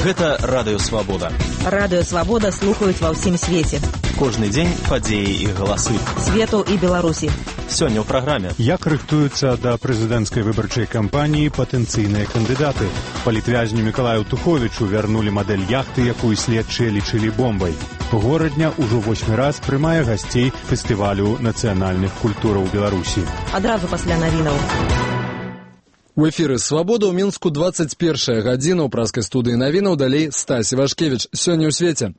Гэта Радыё Свабода. Радыё Свабода слухаюць ва ўсім свеце. Кожны дзень падзеі і галасы. Свету і Беларусі. Сёння ў праграме. Як рыхтуюцца да прэзідэнцкай выбарчай кампаніі патэнцыйныя кандыдаты? Палітвязню Мікалаю Туховічу вярнулі мадэль яхты, якую следчыя лічылі бомбай. Горадня ўжо 8 раз прымае гасцей фестывалю нацыянальных культураў Беларусі. Адразу пасля навінаў. У эфіры «Свабода» ў Мінску 21 гадзіна. У праскай студыі навінаў далей Стась Івашкевіч. Сёння ў свеце.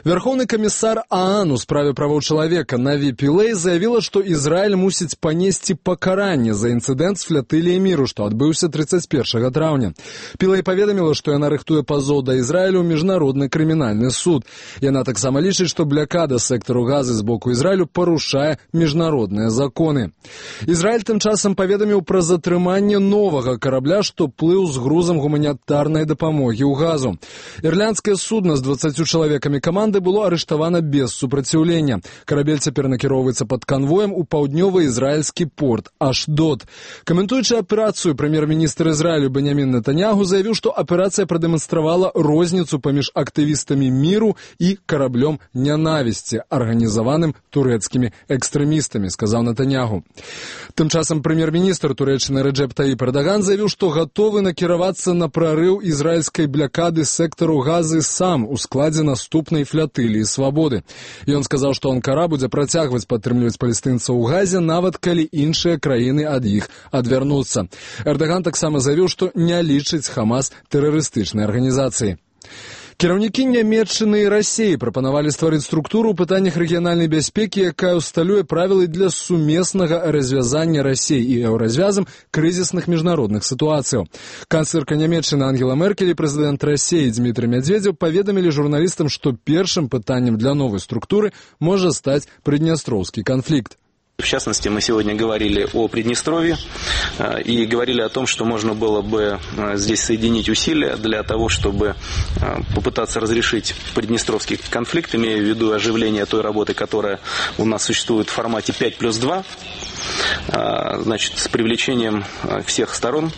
Верховны камісар ААН у справе правоў чалавека Наві Пілэй заявіла, што Ізраіль мусіць панесці пакаранне за інцыдэнт з флатыліяй міру, што адбыўся 31 траўня. Пілэй паведаміла, што яна рыхтуе пазоў да Ізраілю ў міжнародны крымінальны суд. Яна таксама лічыць, што блякада сектару Газы з боку Ізраілю парушае міжнародныя законы. Ізраіль тым часам паведаміў пра затрыманне новага карабля, што плыў з грузам гуманітарнай дапамогі ў Газу. Ірландскае судна з 20 чалавекамі каманды было арыштавана без супраціўлення. Карабель цяпер накіроўваецца пад канвоем у паўднёвы ізраільскі порт Ашдод. Каментуючы аперацыю, прэм'ер-міністр Ізраілю Беньямін Нетаньяху заявіў, што аперацыя прадэманстравала розніцу паміж актывістамі міру і караблём нянавісці, арганізаваным турэцкімі экстрэмістамі, сказаў Нетаньяху. Тым часам прэм'ер-міністр Турэччыны Рэджэп Таіп Эрдаган заявіў, што гатовы накіравацца на прарыў ізраільскай блякады сектару Газы сам у складзе наступнай флятыліі свабоды. Ён сказаў, што Анкара будзе працягваць падтрымліваць палестынцаў у Газе, нават калі іншыя краіны ад іх адвярнуцца. Эрдаган таксама заявіў, што не лічыць Хамас тэрарыстычнай арганізацыяй. Кіраўнікі Нямецчыны і Расіі прапанавалі стварыць структуру ў пытаннях рэгіянальнай бяспекі, якая ўсталюе правілы для сумеснага развязання Расіі і еўразвязам крызісных міжнародных сітуацыяў. Канцлерка Нямецчыны Ангела Меркель і прэзідэнт Расіі Дзмітрый Медведзеў паведамілі журналістам, што першым пытаннем для новай структуры можа стаць прыднястроўскі канфлікт. В частности, мы сегодня говорили о Приднестровье и говорили о том, что можно было бы здесь соединить усилия для того, чтобы попытаться разрешить приднестровский конфликт, имея в виду оживление той работы, которая у нас существует в формате 5+2, значит, с привлечением всех сторон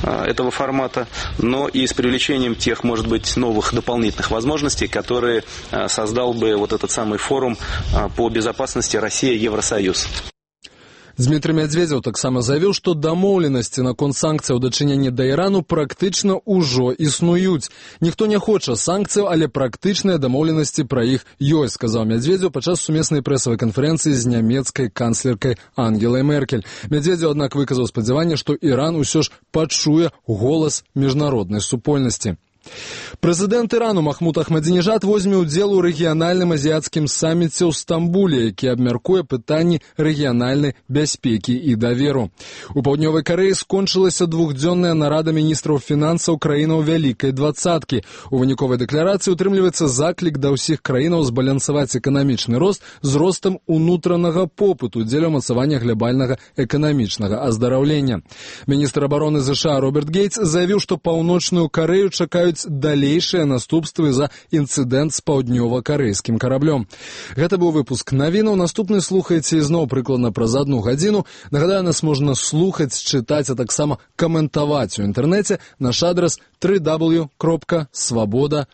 этого формата, но и с привлечением тех, может быть, новых дополнительных возможностей, которые создал бы вот этот самый форум по безопасности Россия-Евросоюз. Дзмітрый Медведзеў таксама заявіў, што дамоўленасці наконт санкцыяў у дачыненні да Ірану практычна ўжо існуюць. Ніхто не хоча санкцыяў, але практычныя дамоўленасці пра іх ёсць, сказаў Медведзеў падчас сумеснай прэсавай канферэнцыі з нямецкай канцлеркай Ангелай Меркель. Медведзеў, аднак, выказаў спадзяванне, што Іран усё ж пачуе голас міжнароднай супольнасці. Прэзідэнт Ірану Махмуд Ахмадзінежад возьме ўдзел у рэгіянальным азіяцкім саміце ў Стамбуле, які абмяркуе пытанні рэгіянальнай бяспекі і даверу. У Паўднёвай Карэі скончылася двухдзённая нарада міністраў фінансаў краінаў Вялікай двадцаткі. У выніковай дэкларацыі утрымліваецца заклік да ўсіх краінаў збалансаваць эканамічны рост з ростам унутранага попыту дзеля ўмацавання глобальнага эканамічнага аздараўлення. Міністр абароны США Роберт Гейтс заявіў, што Паўночную Карэю чакаюць далейшыя наступствы за інцыдэнт з паўднёва-карэйскім караблём. Гэта быў выпуск навінаў. Наступны слухаеце ізноў прыкладна праз 1 гадзіну. Нагадаю, нас можна слухаць, чытаць, а таксама каментаваць у інтэрнэце. Наш адрас www.swaboda.org.